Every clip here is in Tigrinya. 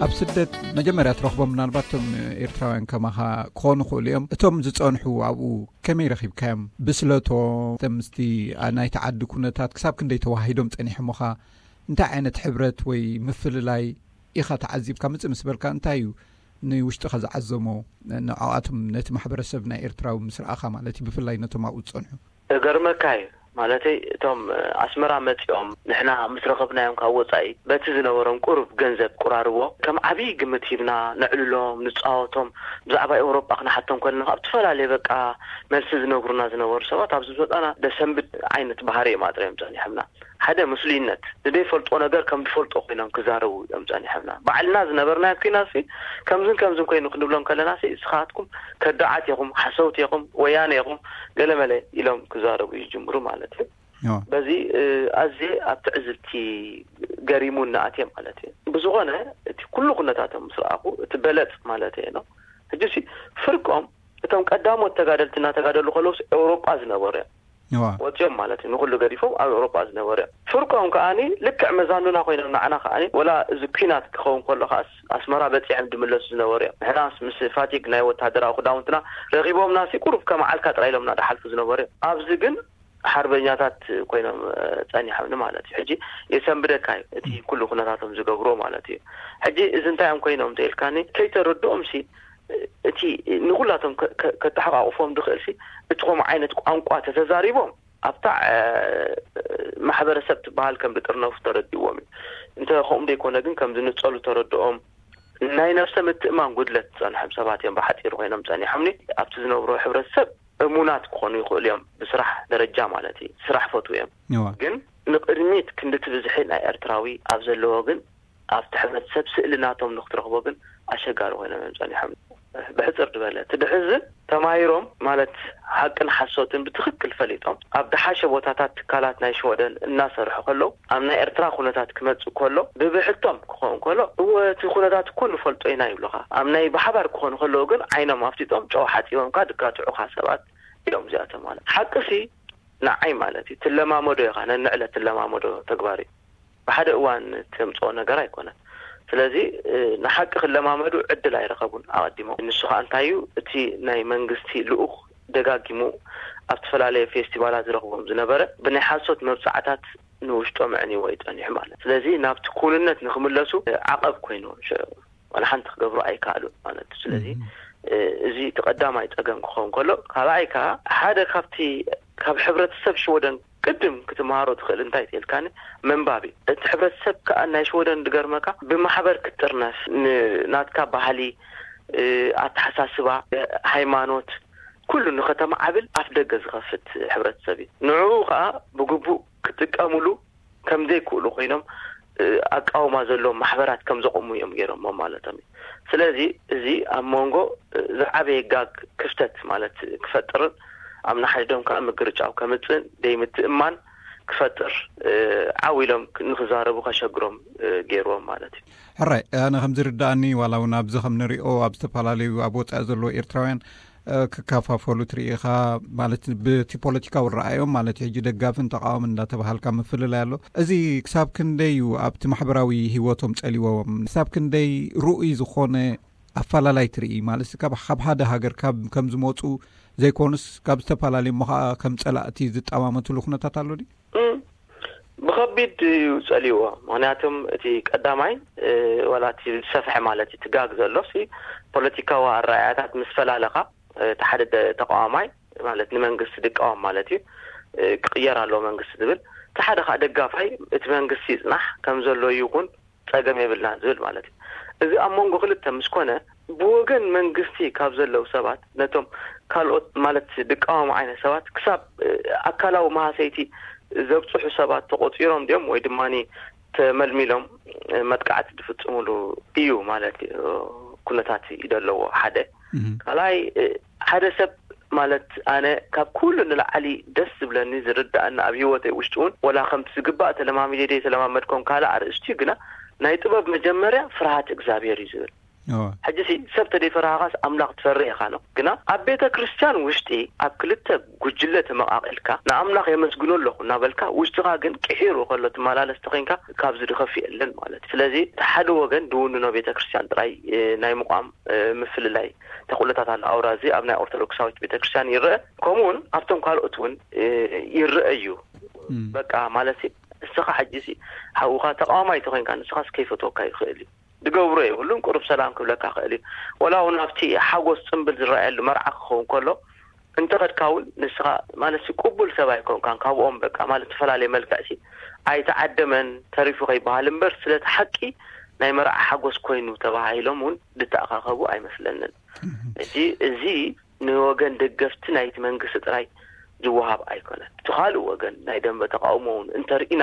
ኣብ ስደት መጀመርያ ትረኽቦም ምናልባት እቶም ኤርትራውያን ከማኻ ክኾኑ ይኽእሉ እዮም። እቶም ዝጸንሑ ኣብኡ ከመይ ረኺብካዮም? ብስለቶም፣ ምስቲ ናይቲ ዓዲ ኩነታት ክሳብ ክንደይ ተዋሂዶም ጸኒሖምኻ? እንታይ ዓይነት ሕብረት ወይ ምፍልላይ ኢኻ ተዓዚብካ? ምጽእ ምስ በልካ እንታይ እዩ ንውሽጥኻ ዝዓዘሞ ንዕኣቶም፣ ነቲ ማሕበረሰብ ናይ ኤርትራዊ ምስ ረኣኻ ማለት እዩ፣ ብፍላይ ነቶም ኣብኡ ዝጸንሑ? እገርመካ እዩ። ማለተይ እቶም ኣስመራ መጺኦም ንሕና ምስ ረኸብናዮም ካብ ወጻኢ በቲ ዝነበሮም ቁሩብ ገንዘብ ቁራርቦ ከም ዓብዪ ግምት ሂብና ነዕልሎም፣ ንጻወቶም፣ ብዛዕባ ኤውሮጳ ክንሓቶም ከለና ካብ ዝተፈላለየ በቃ መልሲ ዝነግሩና ዝነበሩ ሰባት ኣብዚ ዝመጻና ደሰንብድ ዓይነት ባህሪ እዮም ኣጥርዮም ጸኒሖምና። ሓደ ምስሉይነት፣ ንደይፈልጦ ነገር ከም ዝፈልጦ ኮይኖም ክዛረቡ እዮም ጸኒሖምና። ባዕልና ዝነበርናዮ ኩናት ሲ ከምዝን ከምዝን ኮይኑ ክንብሎም ከለና ሲ እስኻትኩም ከዳዓት ኢኹም፣ ሓሰውቲ ኢኹም፣ ወያነ ኢኹም፣ ገለመለ ኢሎም ክዛረቡ ይጅምሩ ማለት እዩ። በዚ ኣዝየ ኣብ ትዕዝብቲ ገሪሙኒ ኣትየ ማለት እዩ። ብዝኾነ እቲ ኩሉ ኩነታቶም ምስ ረኣኹ እቲ በለጽ ማለት እየ ነው። ሕጂ ሲ ፍርቆም እቶም ቀዳሞት ተጋደልቲ እናተጋደሉ ከለውስ ኤውሮጳ ዝነበሩ እዮም። ወፂኦም ማለት እዩ። ንኩሉ ገዲፎም ኣብ ኤውሮጳ ዝነበሩ እዮም። ፍርቆም ከዓኒ ልክዕ መዛኑና ኮይኖም ንዓና ከዓኒ ወላ እዚ ኩናት ክኸውን ከሎ ከዓስ ኣስመራ በፂሖም ድምለሱ ዝነበሩ እዮም። ንሕናስ ምስ ፋቲግ ናይ ወታደራዊ ክዳውንትና ረኺቦምና ሲ ቁሩብ ከም ዓልካ ጥራይ ኢሎምና ድሓልፉ ዝነበሩ እዮም። ኣብዚ ግን ሓርበኛታት ኮይኖም ጸኒሖምኒ ማለት እዩ። ሕጂ የሰንብደካ እዩ እቲ ኩሉ ኩነታቶም ዝገብሮ ማለት እዩ። ሕጂ እዚ እንታይ እዮም ኮይኖም ተኢልካኒ ከይተረድኦም ሲ እቲ ንኩላቶም ከተሓቃቁፎም ድኽእል ሲ እቲ ከምኡ ዓይነት ቋንቋ ተተዛሪቦም ኣብታ ማሕበረሰብ ትበሃል ከም ዝጥርነፉ ተረድዎም እዩ። እንተ ከምኡ ዘይኮነ ግን ከም ዝንጸሉ ተረድኦም ናይ ነፍሰ ምትእማን ጉድለት ዝጸንሖም ሰባት እዮም ብሓፂሩ ኮይኖም ጸኒሖምኒ። ኣብቲ ዝነብሮ ሕብረተሰብ እሙናት ክኾኑ ይኽእሉ እዮም ብስራሕ ደረጃ ማለት እዩ። ስራሕ ፈትዉ እዮም። ግን ንቅድሚት ክንድቲ ብዝሒ ናይ ኤርትራዊ ኣብ ዘለዎ ግን ኣብቲ ሕብረተሰብ ስእሊ ናቶም ንክትረኽቦ ግን ኣሸጋሪ ኮይኖም እዮም ጸኒሖም። ብሕፅር ዝበለ እቲ ድሕዝን ተማሂሮም ማለት ሓቅን ሓሶትን ብትኽክል ፈሊጦም ኣብ ደሓሸ ቦታታት ትካላት ናይ ሽወደን እናሰርሑ ከለዉ ኣብ ናይ ኤርትራ ኩነታት ክመፅእ ከሎ ብብሕቶም ክኸውን ከሎ እወ እቲ ኩነታት እኮ ንፈልጦ ኢና ይብሉኻ። ኣብ ናይ ብሓባር ክኾኑ ከለዉ ግን ዓይኖም ኣፍጢጦም ጨው ሓፂቦምካ ድጋትዑኻ ሰባት እዮም እዚኣቶም ማለት ሓቅሲ ንዓይ ማለት እዩ ትለማመዶ ኢኻ ነንዕለ ትለማመዶ ተግባር እዩ። ብሓደ እዋን ተምፅኦ ነገር ኣይኮነን። ስለዚ ንሓቂ ክለማመዱ ዕድል ኣይረኸቡን ኣቐዲሞም። ንሱ ከዓ እንታይ እዩ እቲ ናይ መንግስቲ ልኡኽ ደጋጊሙ ኣብ ዝተፈላለየ ፌስቲቫላት ዝረኽቦም ዝነበረ ብናይ ሓሶት መብፃዕታት ንውሽጦም ኣዕንይዎ እዩ ፀኒሑ ማለት ስለዚ ናብቲ ኩንነት ንክምለሱ ዓቐብ ኮይኑ ዋላ ሓንቲ ክገብሩ ኣይከኣሉን ማለት እዩ። ስለዚ እዚ እቲ ቀዳማይ ፀገም ክኸውን ከሎ ካልኣይ ከዓ ሓደ ካብቲ ካብ ሕብረተሰብ ሽወደን ቅድም ክትመሃሮ ትኽእል እንታይ ትልካኒ መንባብ እዩ። እቲ ሕብረተሰብ ከዓ ናይ ሽወደን ድገርመካ ብማሕበር ክትጥርነፍ ናትካ ባህሊ ኣተሓሳስባ ሃይማኖት ኩሉ ንኸተማዓብል ኣፍ ደገ ዝኸፍት ሕብረተሰብ እዩ። ንዕኡ ከዓ ብግቡእ ክጥቀምሉ ከም ዘይክእሉ ኮይኖም ኣቃውማ ዘለዎም ማሕበራት ከም ዘቆሙ እዮም ገይሮሞ ማለቶም እዩ። ስለዚ እዚ ኣብ መንጎ ዝዓበየ ጋግ ክፍተት ማለት ክፈጥርን ኣብ ንሓድዶም ከዓ ምግርጫው ከምፅእን ደይምትእማን ክፈጥር ዓው ኢሎም ንክዛረቡ ከሸግሮም ገይርዎም ማለት እዩ። ሕራይ ኣነ ከም ዝርዳእኒ ዋላ እውን ኣብዚ ከም ንሪኦ ኣብ ዝተፈላለዩ ኣብ ወፃኢ ዘለዉ ኤርትራውያን ክከፋፈሉ ትርኢ ኢኻ ማለት ብቲ ፖለቲካዊ ረኣዮም ማለት ሕጂ ደጋፍን ተቃዋምን እንዳተባሃልካ ምፍልላይ ኣሎ። እዚ ክሳብ ክንደይ እዩ ኣብቲ ማሕበራዊ ህይወቶም ጸሊዎም? ክሳብ ክንደይ ርኡይ ዝኾነ ኣፈላላይ ትርኢ ማለት ካብ ሓደ ሃገር ከም ዝመፁ ዘይኮኑስ ካብ ዝተፈላለዩ እሞ ከዓ ከም ፀላእቲ ዝጠማመትሉ ኩነታት ኣሎ ድዩ? ብኸቢድ እዩ ጸልይዎ። ምኽንያቱም እቲ ቀዳማይ ዋላ እቲ ዝሰፍሐ ማለት እቲ ጋግ ዘሎ ሲ ፖለቲካዊ ኣረኣያታት ምስ ፈላለኻ እቲ ሓደ ተቃዋማይ ማለት ንመንግስቲ ድቃወም ማለት እዩ። ክቅየር ኣለዎ መንግስቲ ዝብል እቲ ሓደ ከዓ ደጋፋይ እቲ መንግስቲ ይፅናሕ ከም ዘሎ ይኹን ፀገም የብልና ዝብል ማለት እዩ። እዚ ኣብ መንጎ ክልተ ምስ ኮነ ብወገን መንግስቲ ካብ ዘለዉ ሰባት ነቶም ካልኦት ማለት ድቃወሙ ዓይነት ሰባት ክሳብ ኣካላዊ መሃሰይቲ ዘብፅሑ ሰባት ተቆፂሮም ድዮም ወይ ድማ ተመልሚሎም መጥቃዕቲ ዝፍፅሙሉ እዩ ማለት ኩነታት እዩ ዘለዎ ሓደ ካልኣይ ሓደ ሰብ ማለት ኣነ ካብ ኩሉ ንላዕሊ ደስ ዝብለኒ ዝርዳእና ኣብ ህይወተይ ውሽጢ እውን ወላ ከምቲ ዝግባእ ተለማሚደ ደይ ተለማመድኮም ካልእ ኣርእስቲ እዩ ግና ናይ ጥበብ መጀመርያ ፍርሃት እግዚኣብሔር እዩ ዝብል ሕጂ ሲ ሰብ ተደይፈራሃኻስ ኣምላኽ ትፈርህ ኢኻ ነው። ግና ኣብ ቤተ ክርስቲያን ውሽጢ ኣብ ክልተ ጉጅለ ተመቓቒልካ ንኣምላኽ የመስግኖ ኣለኹ እናበልካ ውሽጥኻ ግን ቅሒሩ ከሎ ትመላለስ ተኾይንካ ካብዚ ድኸፍ የለን ማለት እዩ። ስለዚ እቲ ሓደ ወገን ድውንኖ ቤተ ክርስቲያን ጥራይ ናይ ምቋም ምፍልላይ ተኽእሎታት ኣሎ። ኣውራ እዚ ኣብ ናይ ኦርቶዶክሳዊት ቤተ ክርስቲያን ይረአ፣ ከምኡውን ኣብቶም ካልኦት እውን ይረአ እዩ። በቃ ማለት ንስኻ ሕጂ ሲ ሓውኻ ተቃዋማይ ተኾይንካ ንስኻስ ከይፈትወካ ይኽእል እዩ። ድገብሮ የብሉን፣ ቁሩብ ሰላም ክብለካ ክእል እዩ። ወላ እውን ኣብቲ ሓጎስ ጽምብል ዝረኣየሉ መርዓ ክኸውን ከሎ እንተኸድካ እውን ንስኻ ማለት ቅቡል ሰብ ኣይኮንካን ካብኦም። በቃ ማለት ዝተፈላለየ መልክዕ ሲ ኣይተዓደመን ተሪፉ ከይበሃል እምበር ስለቲ ሓቂ ናይ መርዓ ሓጎስ ኮይኑ ተባሂሎም እውን ድተኣኻኸቡ ኣይመስለንን። እዚ እዚ ንወገን ደገፍቲ ናይቲ መንግስቲ ጥራይ ዝወሃብ ኣይኮነን። እቲ ካልእ ወገን ናይ ደንበ ተቃውሞ እውን እንተርኢና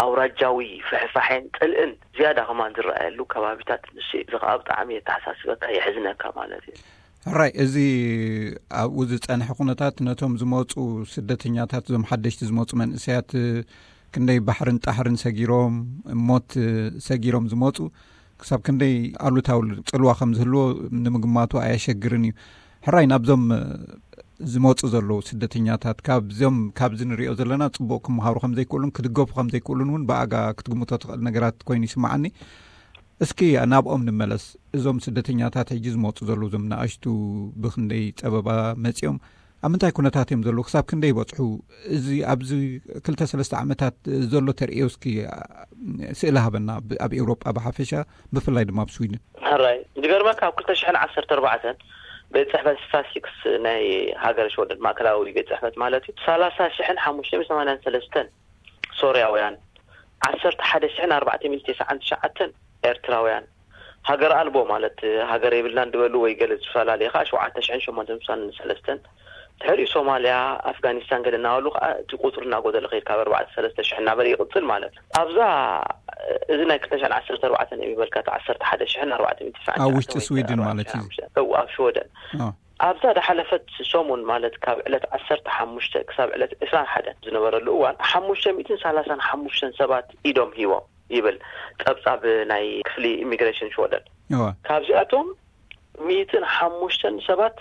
ኣውራጃዊ ፍሕፋሕን ጽልእን ዝያዳ ከማን ዝረኣየሉ ከባቢታት ንሱ እዩ። እዚ ከዓ ብጣዕሚ የተሓሳስበካ፣ የሕዝነካ ማለት እዩ። ሕራይ፣ እዚ ኣብኡ ዝጸንሐ ኩነታት ነቶም ዝመጹ ስደተኛታት፣ እዞም ሓደሽቲ ዝመጹ መንእሰያት ክንደይ ባሕርን ጣሕርን ሰጊሮም፣ ሞት ሰጊሮም ዝመጹ ክሳብ ክንደይ ኣሉታዊ ጽልዋ ከም ዝህልዎ ንምግማቱ ኣየሸግርን እዩ። ሕራይ፣ ናብዞም ዝመጹ ዘለዉ ስደተኛታት ካብዞም ካብዚ ንሪኦ ዘለና ጽቡቕ ክመሃሩ ከም ዘይክእሉን ክድገፉ ከም ዘይክእሉን እውን ብኣጋ ክትግምቶ ትኽእል ነገራት ኮይኑ ይስምዓኒ። እስኪ ናብኦም ንመለስ። እዞም ስደተኛታት ሕጂ ዝመጹ ዘለዉ እዞም ንኣሽቱ ብኽንደይ ጸበባ መጺኦም ኣብ ምንታይ ኩነታት እዮም ዘለዉ? ክሳብ ክንደይ ይበጽሑ? እዚ ኣብዚ ክልተ ሰለስተ ዓመታት ዘሎ ተርእዮ እስኪ ስእሊ ሃበና፣ ኣብ ኤውሮጳ ብሓፈሻ ብፍላይ ድማ ኣብ ስዊድን። ሕራይ፣ ዝገርመካ ኣብ ክልተ ሽሕን ዓሰርተ ኣርባዕተን ቤት ጽሕፈት ስታስቲክስ ናይ ሃገረ ሽወደን፣ ማእከላዊ ቤት ጽሕፈት ማለት እዩ፣ ሰላሳ ሽሕን ሓሙሽተ ሚእትን ሰማንያን ሰለስተን ሶርያውያን፣ ዓሰርተ ሓደ ሽሕን ኣርባዕተ ሚእትን ተስዓን ትሽዓተን ኤርትራውያን፣ ሃገር ኣልቦ ማለት ሃገር የብልናን ዝበሉ ወይ ገለ ዝፈላለየ ከዓ ሸውዓተ ሽሕን ሸሞንተ ሚእትን ሰለስተን፣ ድሕሪኡ ሶማልያ፣ ኣፍጋኒስታን ገለ እናበሉ ከዓ እቲ ቁፅሪ እናጎደለ ከይድ ካብ ኣርባዕተ ሰለስተ ሽሕ እናበለ ይቕፅል ማለት እዩ። ኣብዛ እዚ ናይ ክልተ ሽሕን ዓሰርተ ኣርባዕተን እዮም ይበልካ፣ እቲ ዓሰርተ ሓደ ሽሕን ኣርባዕተ ሚእትን ተስዓን ትሽዓተን ኣብ ውሽጢ ወይ ስዊድን ማለት እዩ። ኣርባዕተ ሽሕን ሓሙሽተ፣ እው፣ ኣብ ሽወደን። ኣብዛ ዝሓለፈት ሰሙን ማለት ካብ ዕለት ዓሰርተ ሓሙሽተ ክሳብ ዕለት ዕስራን ሓደን ዝነበረሉ እዋን ሓሙሽተ ሚእትን ሰላሳን ሓሙሽተን ሰባት ኢዶም ሂቦም ይብል ጸብጻብ ናይ ክፍሊ ኢሚግሬሽን ሽወደን። ካብዚኣቶም ሚእትን ሓሙሽተን ሰባት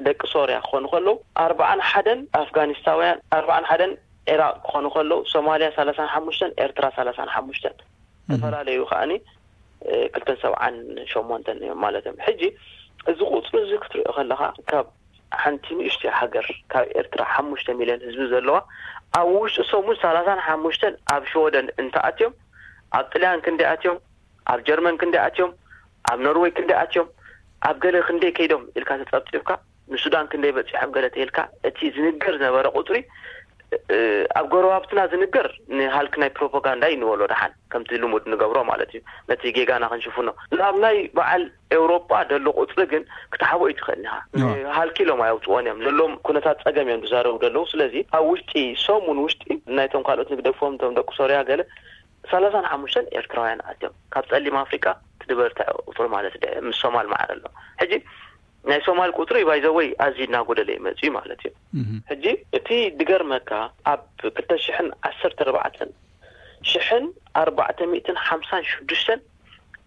ደቂ ሶርያ ክኾኑ ከለዉ፣ ኣርባዓን ሓደን ኣፍጋኒስታውያን፣ ኣርባዓን ሓደን ዒራቕ ክኾኑ ከለዉ፣ ሶማልያ ሰላሳን ሓሙሽተን፣ ኤርትራ ሰላሳን ሓሙሽተን። ዝተፈላለዩ ከኣኒ ክልተን ሰብዓን ሸሞንተን እዮም ማለት እዮም። ሕጂ እዚ ቁፅሪ እዚ ክትሪኦ ከለኻ ካብ ሓንቲ ንእሽተይ ሃገር ካብ ኤርትራ ሓሙሽተ ሚልዮን ህዝቢ ዘለዋ ኣብ ውሽጢ ሰሙን ሰላሳን ሓሙሽተን ኣብ ሽወደን እንተኣትዮም ኣብ ጥልያን ክንደይ ኣትዮም ኣብ ጀርመን ክንደይ ኣትዮም ኣብ ኖርወይ ክንደይ ኣትዮም ኣብ ገለ ክንደይ ከይዶም ኢልካ ተፀብፂብካ ንሱዳን ክንደይ በፂሖም ገለ ተይልካ እቲ ዝንገር ዝነበረ ቁፅሪ ኣብ ጎረባብትና ዝንገር ንሃልክ ናይ ፕሮፓጋንዳ እዩ ንበሎ ደሓን ከምቲ ልሙድ ንገብሮ ማለት እዩ ነቲ ጌጋና ክንሽፍኖ ናብ ናይ በዓል ኤውሮጳ ደሎ ቁፅሪ ግን ክትሓቦ ይትኽእል ኢኻ። ሃልኪ ኢሎም ኣየውፅዎን እዮም ዘለዎም ኩነታት ፀገም እዮም ዝዛረቡ ዘለዉ። ስለዚ ኣብ ውሽጢ ሰሙን ውሽጢ ናይቶም ካልኦት ንግደፎም እቶም ደቂ ሶርያ ገለ ሰላሳን ሓሙሽተን ኤርትራውያን ኣትዮም ካብ ፀሊም ኣፍሪቃ ትድበርትዕ ቁፅሪ ማለት ድ ምስ ሶማል ማዕረ ኣሎ። ሕጂ ናይ ሶማል ቁፅሪ ባይዘወይ ኣዝዩ እናጎደለ ይመፅእ ማለት እዩ። ሕጂ እቲ ድገርመካ ኣብ ክልተ ሽሕን ዓሰርተ ኣርባዕተን ሽሕን ኣርባዕተ ሚእትን ሓምሳን ሽዱሽተን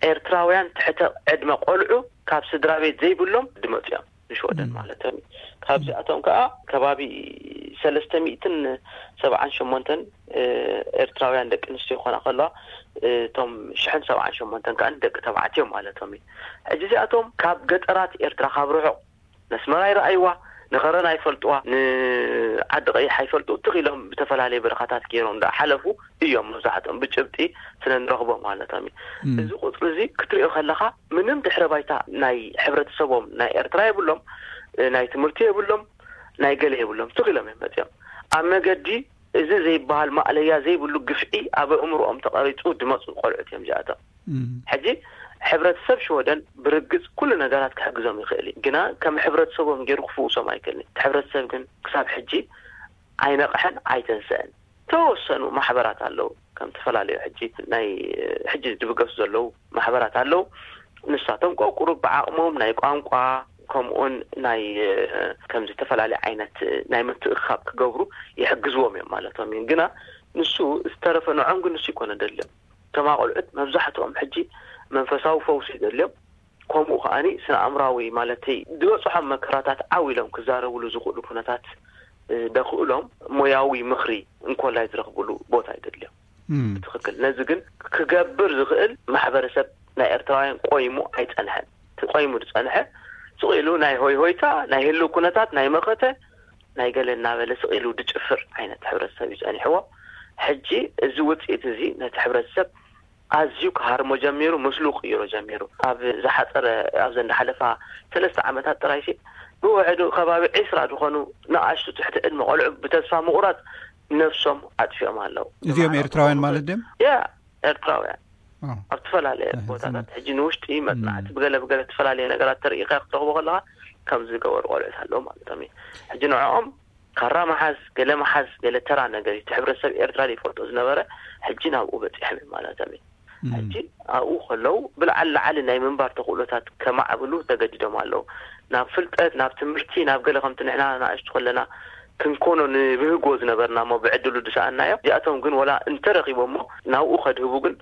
ኤርትራውያን ትሕተ ዕድመ ቆልዑ ካብ ስድራ ቤት ዘይብሎም ድመፅኦም ንሽወደን ማለት እዮም። ካብዚኣቶም ከዓ ከባቢ ሰለስተ ሚእትን ሰብዓን ሸሞንተን ኤርትራውያን ደቂ ኣንስትዮ ይኾና ከለዋ እቶም ሽሕን ሰብዓን ሸሞንተን ከዓ ደቂ ተባዕትዮ ማለቶም እዩ። ሕጂ እዚኣቶም ካብ ገጠራት ኤርትራ ካብ ርሑቕ ነስመራ ይረኣይዋ ንኸረን ኣይፈልጥዋ ንዓዲ ቀይሕ ኣይፈልጡ ትኽ ኢሎም ብተፈላለየ በረኻታት ገይሮም ዳ ሓለፉ እዮም መብዛሕትኦም ብጭብጢ ስለ ንረኽቦ ማለቶም እዩ። እዚ ቁፅሪ እዚ ክትሪኦ ከለኻ ምንም ድሕረ ባይታ ናይ ሕብረተሰቦም ናይ ኤርትራ የብሎም፣ ናይ ትምህርቲ የብሎም፣ ናይ ገለ የብሎም ትኽ ኢሎም እዮም መፅኦም ኣብ መገዲ እዚ ዘይበሃል ማእለያ ዘይብሉ ግፍዒ ኣብ ኣእምሮኦም ተቐሪፁ ድመፁ ቆልዑት እዮም እዚኣቶም። ሕጂ ሕብረተሰብ ሽወደን ብርግፅ ኩሉ ነገራት ክሕግዞም ይኽእል እዩ፣ ግና ከም ሕብረተሰቦም ገይሩ ክፍውሶም ኣይክእልን። እቲ ሕብረተሰብ ግን ክሳብ ሕጂ ኣይነቕሐን ኣይተንስአን። ተወሰኑ ማሕበራት ኣለዉ ከም ዝተፈላለዩ ሕጂ ናይ ሕጂ ዝብገሱ ዘለዉ ማሕበራት ኣለዉ። ንሳቶም ቆቁሩ ብዓቕሞም ናይ ቋንቋ ከምኡን ናይ ከም ዝተፈላለዩ ዓይነት ናይ ምትእኻብ ክገብሩ ይሕግዝዎም እዮም ማለቶም እዩ። ግና ንሱ ዝተረፈ ንዖም ግን ንሱ ይኮነ ደልዮም። እቶም ኣቆልዑት መብዛሕትኦም ሕጂ መንፈሳዊ ፈውሲ ደልዮም ከምኡ ከዓኒ ስነ ኣእምራዊ ማለተይ ዝበፅሖም መከራታት ዓው ኢሎም ክዛረብሉ ዝኽእሉ ኩነታት ደኽእሎም ሞያዊ ምኽሪ እንኮላይ ዝረኽብሉ ቦታ ይደልዮም። ትኽክል። ነዚ ግን ክገብር ዝኽእል ማሕበረሰብ ናይ ኤርትራውያን ቆይሙ ኣይጸንሐን። እቲ ቆይሙ ዝጸንሐ ስቕ ኢሉ ናይ ሆይ ሆይታ፣ ናይ ህልው ኩነታት፣ ናይ መኸተ፣ ናይ ገለ እናበለ ስቕ ኢሉ ዝጭፍር ዓይነት ሕብረተሰብ እዩ ጸኒሕዎ። ሕጂ እዚ ውጽኢት እዚ ነቲ ሕብረተሰብ ኣዝዩ ክሃርሞ ጀሚሩ፣ ምስሉ ክቕይሮ ጀሚሩ። ኣብ ዝሓጸረ፣ ኣብዘን ዝሓለፋ ሰለስተ ዓመታት ጥራይሲ ብውሕዱ ከባቢ ዒስራ ዝኾኑ ንኣሽቱ ትሕቲ ዕድመ ቆልዑ ብተስፋ ምቑራጽ ነብሶም ኣጥፊኦም ኣለዉ። እዚኦም ኤርትራውያን ማለት ድዮም? ያ፣ ኤርትራውያን ኣብ ዝተፈላለየ ቦታታት ሕጂ ንውሽጢ መጽናዕቲ ብገለ ብገለ ዝተፈላለየ ነገራት ተርእኻ ክትረኽቦ ከለኻ ከም ዝገበሩ ቆልዑት ኣለዉ ማለቶም እዩ። ሕጂ ንዕኦም ካራ መሓዝ፣ ገለ መሓዝ፣ ገለ ተራ ነገር እዩ። እቲ ሕብረተሰብ ኤርትራ ዘይፈልጦ ዝነበረ ሕጂ ናብኡ በጺሖም እዩ ማለቶም እዩ። ሕጂ ኣብኡ ከለዉ ብልዓል ላዓሊ ናይ ምንባር ተኽእሎታት ከማዕብሉ ተገዲዶም ኣለዉ። ናብ ፍልጠት፣ ናብ ትምህርቲ፣ ናብ ገለ ከምቲ ንሕና ንኣሽቱ ከለና ክንኮኖ ንብህጎ ዝነበርና እሞ ብዕድሉ ዝሰኣናዮ፣ እዚኣቶም ግን ወላ እንተረኺቦሞ ናብኡ ከድህቡ ግን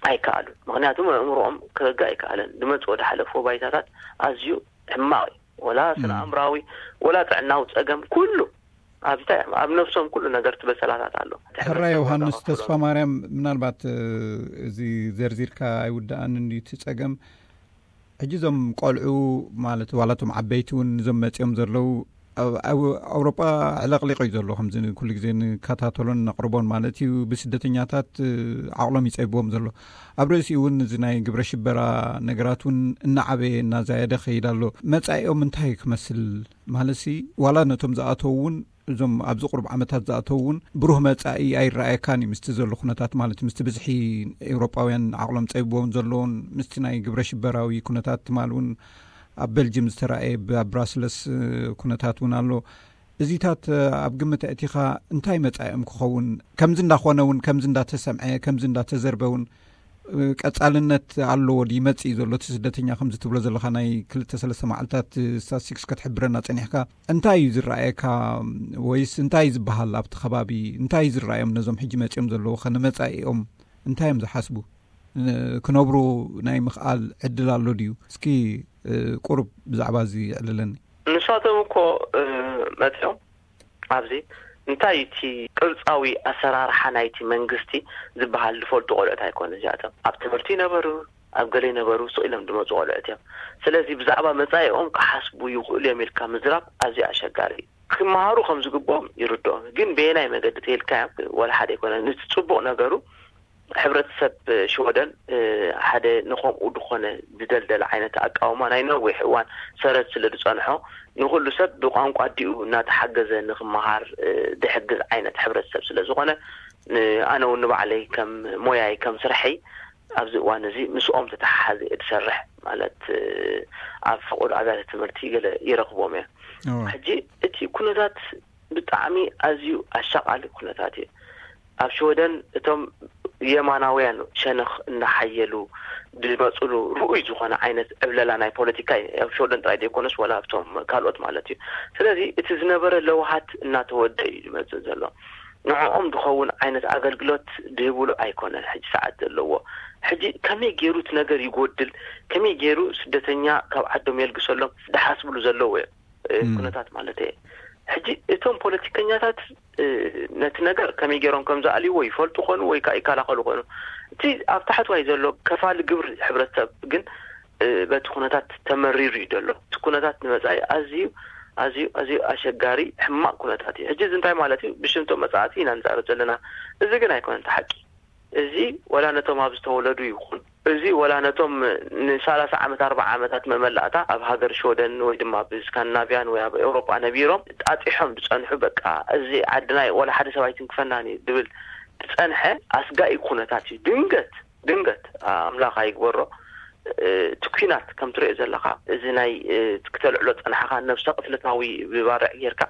ኣይከኣሉን። ምኽንያቱ ኣእምሮኦም ክረግእ ኣይከኣለን። ዝመጽኦ ዝሓለፍዎ ባይታታት ኣዝዩ ሕማቕ እዩ። ወላ ስነ ኣእምራዊ፣ ወላ ጥዕናዊ ጸገም ኩሉ ኣብ እንታይ ኣብ ነብሶም ኩሉ ነገር ትበሰላታት ኣሎ። ሕራይ ዮሃንስ ተስፋ ማርያም፣ ምናልባት እዚ ዘርዚርካ ኣይውዳኣን እንድዩ እቲ ጸገም። ሕጂ እዞም ቆልዑ ማለት ዋላ እቶም ዓበይቲ እውን እዞም መጺኦም ዘለዉ ኣብ ኣውሮጳ ዕለቕሊቕ እዩ ዘሎ። ከምዚ ኩሉ ግዜ ንከታተሎን ነቕርቦን ማለት እዩ። ብስደተኛታት ዓቕሎም ይጸብዎም ዘሎ። ኣብ ርእሲኡ እውን እዚ ናይ ግብረ ሽበራ ነገራት እውን እናዓበየ እናዛየደ ኸይድ ኣሎ። መጻኢኦም እንታይ ክመስል ማለትሲ ዋላ ነቶም ዝኣተዉ እውን እዞም ኣብዚ ቁሩብ ዓመታት ዝኣተዉ እውን ብሩህ መጻኢ ኣይረኣየካን እዩ ምስቲ ዘሎ ኩነታት ማለት ምስቲ ብዝሒ ኤውሮጳውያን ዓቕሎም ጸቢቦም ዘለውን ምስቲ ናይ ግብረ ሽበራዊ ኩነታት ትማል እውን ኣብ በልጅም ዝተረኣየ ኣብ ብራስለስ ኩነታት እውን ኣሎ። እዚታት ኣብ ግምት ኣእቲኻ እንታይ መጻኢኦም ክኸውን ከምዚ እንዳኾነ እውን ከምዚ እንዳተሰምዐ ከምዚ እንዳተዘርበ እውን ቀጻልነት ኣለዎ ድዩ ይመጽእ እዩ ዘሎ እቲ ስደተኛ ከምዚ ትብሎ ዘለኻ ናይ ክልተ ሰለስተ መዓልታት ስታትስቲክስ ክትሕብረና ጸኒሕካ እንታይ እዩ ዝረኣየካ ወይስ እንታይ እዩ ዝበሃል ኣብቲ ከባቢ እንታይ እዩ ዝረኣዮም ነዞም ሕጂ መጺኦም ዘለዉ ከነመጻኢኦም እንታይ እዮም ዝሓስቡ ክነብሩ ናይ ምኽኣል ዕድል ኣሎ ድዩ እስኪ ቁሩብ ብዛዕባ እዚ ዕልለኒ ንሳቶም እኮ መጺኦም ኣብዚ እንታይ እቲ ቅርጻዊ ኣሰራርሓ ናይቲ መንግስቲ ዝበሃል ዝፈልጡ ቆልዑት ኣይኮነ እዚኣቶም ኣብ ትምህርቲ ይነበሩ ኣብ ገለ ይነበሩ ስቕ ኢሎም ዝመፁ ቆልዑት እዮም ስለዚ ብዛዕባ መፃኢኦም ክሓስቡ ይኽእሉ እዮም ኢልካ ምዝራብ ኣዝዩ ኣሸጋሪ እዩ ክመሃሩ ከም ዝግብኦም ይርድኦም ግን በየናይ መገዲ ተይልካዮም ወላ ሓደ ኣይኮነ ነቲ ፅቡቕ ነገሩ ሕብረተሰብ ሽወደን ሓደ ንኸምኡ ዝኾነ ዝደልደለ ዓይነት ኣቃውማ ናይ ነዊሕ እዋን ሰረት ስለ ዝጸንሖ ንኹሉ ሰብ ብቋንቋ ኣዲኡ እናተሓገዘ ንኽመሃር ዝሕግዝ ዓይነት ሕብረተሰብ ስለ ዝኾነ ኣነ እውን ንባዕለይ ከም ሞያይ ከም ስርሐይ ኣብዚ እዋን እዚ ምስኦም ተተሓሓዘ እየ ዝሰርሕ ማለት ኣብ ፈቆዶ ኣብያተ ትምህርቲ ገለ ይረኽቦም እየ ሕጂ እቲ ኩነታት ብጣዕሚ ኣዝዩ ኣሻቓሊ ኩነታት እዩ። ኣብ ሽወደን እቶም የማናውያን ሸነኽ እናሓየሉ ዝመፅሉ ርኡይ ዝኾነ ዓይነት ዕብለላ ናይ ፖለቲካ እዩ። ኣብ ሽወደን ጥራይ ዘይኮነስ ዋላ ኣብቶም ካልኦት ማለት እዩ። ስለዚ እቲ ዝነበረ ለውሃት እናተወደ እዩ ዝመፅእ ዘሎ። ንዕኦም ዝኸውን ዓይነት ኣገልግሎት ዝህብሉ ኣይኮነን ሕጂ ሰዓት ዘለዎ። ሕጂ ከመይ ገይሩ እቲ ነገር ይጎድል፣ ከመይ ገይሩ ስደተኛ ካብ ዓዶም የልግሰሎም ዝሓስብሉ ዘለዉ እዮም። ኩነታት ማለት እየ ሕጂ እቶም ፖለቲከኛታት ነቲ ነገር ከመይ ገይሮም ከም ዝኣልይዎ ይፈልጡ ኮኑ ወይ ከዓ ይከላኸሉ ኮኑ እቲ ኣብ ታሕትዋይ ዘሎ ከፋሊ ግብሪ ሕብረተሰብ ግን በቲ ኩነታት ተመሪሩ እዩ ዘሎ እቲ ኩነታት ንመፃኢ ኣዝዩ ኣዝዩ ኣዝዩ ኣሸጋሪ ሕማቅ ኩነታት እዩ ሕጂ እዚ እንታይ ማለት እዩ ብሽምቶም መፃእቲ ኢና ንዛረብ ዘለና እዚ ግን ኣይኮነን ሓቂ እዚ ወላ ነቶም ኣብ ዝተወለዱ ይኹን እዚ ወላ ነቶም ንሳላሳ ዓመት ኣርባዓ ዓመታት መመላእታ ኣብ ሃገር ሽወደን ወይ ድማ ኣብ ስካንድናቭያን ወይ ኣብ ኤውሮጳ ነቢሮም ጣጢሖም ዝጸንሑ በቃ እዚ ዓድና ወላ ሓደ ሰብ ኣይትንክፈናን እዩ ዝብል ዝጸንሐ ኣስጋኢ ኩነታት እዩ ድንገት ድንገት ኣምላኽ ኣይግበሮ እቲ ኲናት ከም ትሪኦ ዘለኻ እዚ ናይ ክተልዕሎ ጸናሕኻ ነብሰ ቅትለታዊ ብባርዕ ጌርካ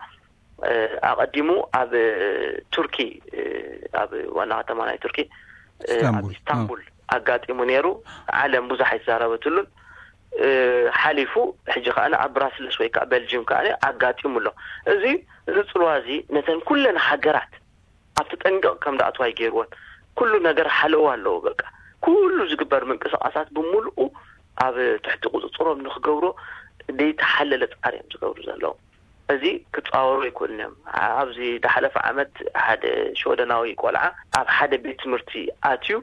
ኣቐዲሙ ኣብ ቱርኪ ኣብ ዋና ከተማ ናይ ቱርኪ ኣብ ኢስታንቡል ኣጋጢሙ ነይሩ። ዓለም ብዙሕ ኣይተዛረበትሉን። ሓሊፉ ሕጂ ከዓ ኣብ ብራስልስ ወይ ከዓ ቤልጅም ከዓ ኣጋጢሙ ኣሎ። እዚ እዚ ፅልዋ እዚ ነተን ኩለን ሃገራት ኣብ ተጠንቀቕ ከም ደኣትዋ ይገይርዎን። ኩሉ ነገር ሓለዋ ኣለዎ። በቃ ኩሉ ዝግበር ምንቅስቃሳት ብምልኡ ኣብ ትሕቲ ቁፅፅሮም ንክገብሮ ዘይተሓለለ ፃዕሪ እዮም ዝገብሩ ዘለዉ። እዚ ክፃወሩ ኣይክእሉን እዮም። ኣብዚ ዝሓለፈ ዓመት ሓደ ሽወደናዊ ቆልዓ ኣብ ሓደ ቤት ትምህርቲ ኣትዩ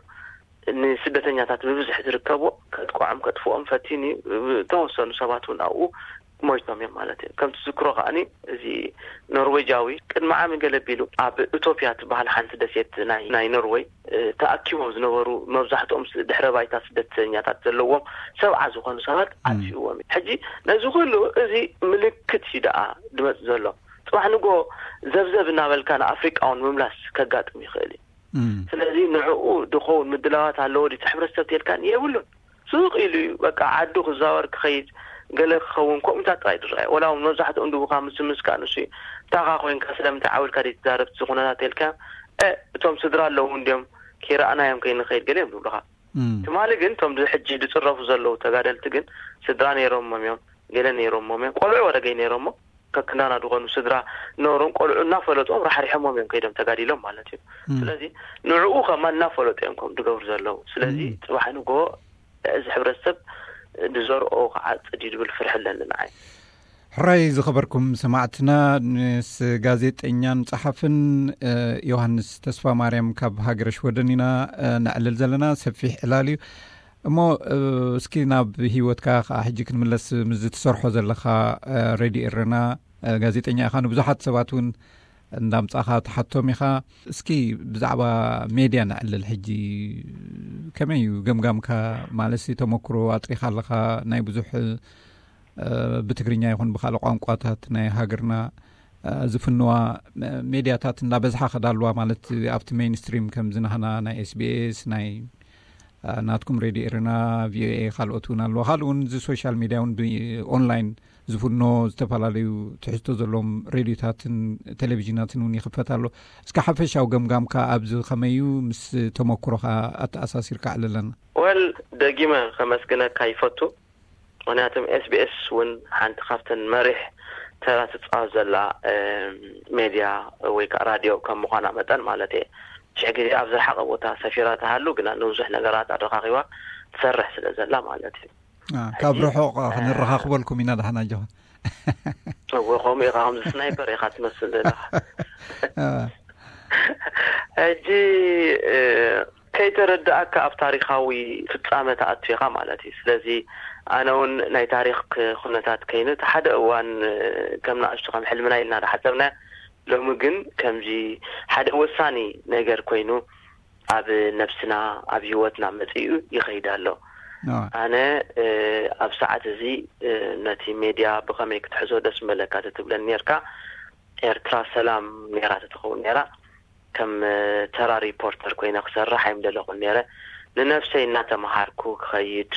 ንስደተኛታት ብብዝሒ ዝርከቦ ከጥቅዖም ከጥፍኦም ፈቲኑ እዩ። ተወሰኑ ሰባት እውን ኣብኡ ሞይቶም እዮም ማለት እዩ። ከም ትዝክሮ ከዓኒ እዚ ኖርዌጃዊ ቅድሚ ዓሚ ገለ ቢሉ ኣብ ኡቶፕያ ትበሃል ሓንቲ ደሴት ናይ ናይ ኖርዌይ ተኣኪቦም ዝነበሩ መብዛሕትኦም ድሕረ ባይታ ስደተኛታት ዘለዎም ሰብዓ ዝኾኑ ሰባት ኣጥፊእዎም እዩ። ሕጂ ነዚ ኩሉ እዚ ምልክት እዩ ደኣ ዝመጽእ ዘሎ። ጽባሕ ንጎ ዘብዘብ እናበልካ ንኣፍሪቃውን ምምላስ ከጋጥም ይኽእል እዩ። ስለዚ ንዕኡ ድኸውን ምድላዋት ኣለዎ ድቲ ሕብረተሰብ ተልካን የብሉን። ስቕ ኢሉ እዩ በቃ ዓዱ ክዛወር ክኸይድ ገለ ክኸውን ከምኡታት ጥራይ ዝረኣየ። ወላ እውን መብዛሕትኦም ድቡኻ ምስ ምስካ ንሱ እዩ። እንታኻ ኮይንካ ስለምንታይ ዓው ኢልካ ዘይትዛረብ እቲ ኩነታት ተልካ እቶም ስድራ ኣለዉ እንዲዮም ከይረኣናዮም ከይንኸይድ ገለ እዮም ዝብሉኻ። ትማሊ ግን እቶም ሕጂ ዝፅረፉ ዘለዉ ተጋደልቲ ግን ስድራ ነይሮሞም እዮም፣ ገለ ነይሮሞም እዮም፣ ቆልዑ ወረገይ ነይሮሞ ከክንዳና ዝኾኑ ስድራ ኖሮም ቆልዑ እናፈለጦም ራሕሪሖሞም እዮም ከይዶም ተጋዲሎም ማለት እዩ። ስለዚ ንዕኡ ከማ እናፈለጡ እዮም ከም ዝገብሩ ዘለዉ። ስለዚ ጽባሕ ንጎ እዚ ሕብረተሰብ ዝዘርኦ ክዓጽድ እዩ ዝብል ፍርሒ ኣለኒ ንዓይ። ሕራይ ዝኸበርኩም ሰማዕትና፣ ምስ ጋዜጠኛን ጸሓፍን ዮሃንስ ተስፋ ማርያም ካብ ሃገረ ሽወደን ኢና ነዕልል ዘለና። ሰፊሕ ዕላል እዩ እሞ፣ እስኪ ናብ ህይወትካ ከዓ ሕጂ ክንምለስ። ምስ ዝትሰርሖ ዘለኻ ሬድዮ ኤረና ጋዜጠኛ ኢኻ። ንብዙሓት ሰባት እውን እንዳምጻኻ ትሓቶም ኢኻ። እስኪ ብዛዕባ ሜድያ ነዕልል። ሕጂ ከመይ እዩ ገምጋምካ? ማለት ተመክሮ ኣጥሪኻ ኣለኻ፣ ናይ ብዙሕ ብትግርኛ ይኹን ብካልእ ቋንቋታት ናይ ሃገርና ዝፍንዋ ሜድያታት እንዳበዝሓ ከዳልዋ፣ ማለት ኣብቲ ሜይንስትሪም ከምዚ ናህና ናይ ኤስቢኤስ፣ ናይ ናትኩም ሬድዮ ኤረና፣ ቪኦኤ፣ ካልኦት እውን ኣለዋ። ካልእ እውን እዚ ሶሻል ሜድያ እውን ብኦንላይን ዝፍኖ ዝተፈላለዩ ትሕዝቶ ዘለዎም ሬድዮታትን ቴሌቪዥናትን እውን ይኽፈት ኣሎ። እስከ ሓፈሻዊ ገምጋምካ ኣብዚ ከመዩ ምስ ተመክሮኻ ኣተኣሳሲርካ ኣዕልለና። ወል ደጊመ ከመስግነካ ይፈቱ። ምክንያቱም ኤስቢኤስ እውን ሓንቲ ካብተን መሪሕ ተራ ትፃወት ዘላ ሜድያ ወይ ከዓ ራድዮ ከም ምኳና መጠን ማለት እየ። ሽሕ ግዜ ኣብ ዝረሓቀ ቦታ ሰፊራ ተሃሉ ግና ንብዙሕ ነገራት ኣረካኪባ ትሰርሕ ስለ ዘላ ማለት እዩ። ካብ ርሑቕ ክንረኻኽበልኩም ኢና ዳሕና ኣጆኻ። እወ ከምኡ ኢኻ፣ ከምዚ ስናይፐር ኢኻ ትመስል ዘለኻ። ሕጂ ከይተረዳእካ ኣብ ታሪኻዊ ፍጻመ ተኣቱ ኢኻ ማለት እዩ። ስለዚ ኣነ እውን ናይ ታሪኽ ኩነታት ከይኑ እቲ ሓደ እዋን ከም ንኣሽቱ ከም ሕልምና ኢልና ዝሓሰብና፣ ሎሚ ግን ከምዚ ሓደ ወሳኒ ነገር ኮይኑ ኣብ ነብስና ኣብ ህይወትና መጺኡ ይኸይድ ኣሎ። ኣነ ኣብ ሰዓት እዚ ነቲ ሜድያ ብኸመይ ክትሕዞ ደስ ምበለካ ተትብለኒ ነርካ፣ ኤርትራ ሰላም ነራ ተትኸውን ነራ ከም ተራ ሪፖርተር ኮይነ ክሰርሕ ኣይምደለኹን ነረ። ንነብሰይ እናተምሃርኩ ክኸይድ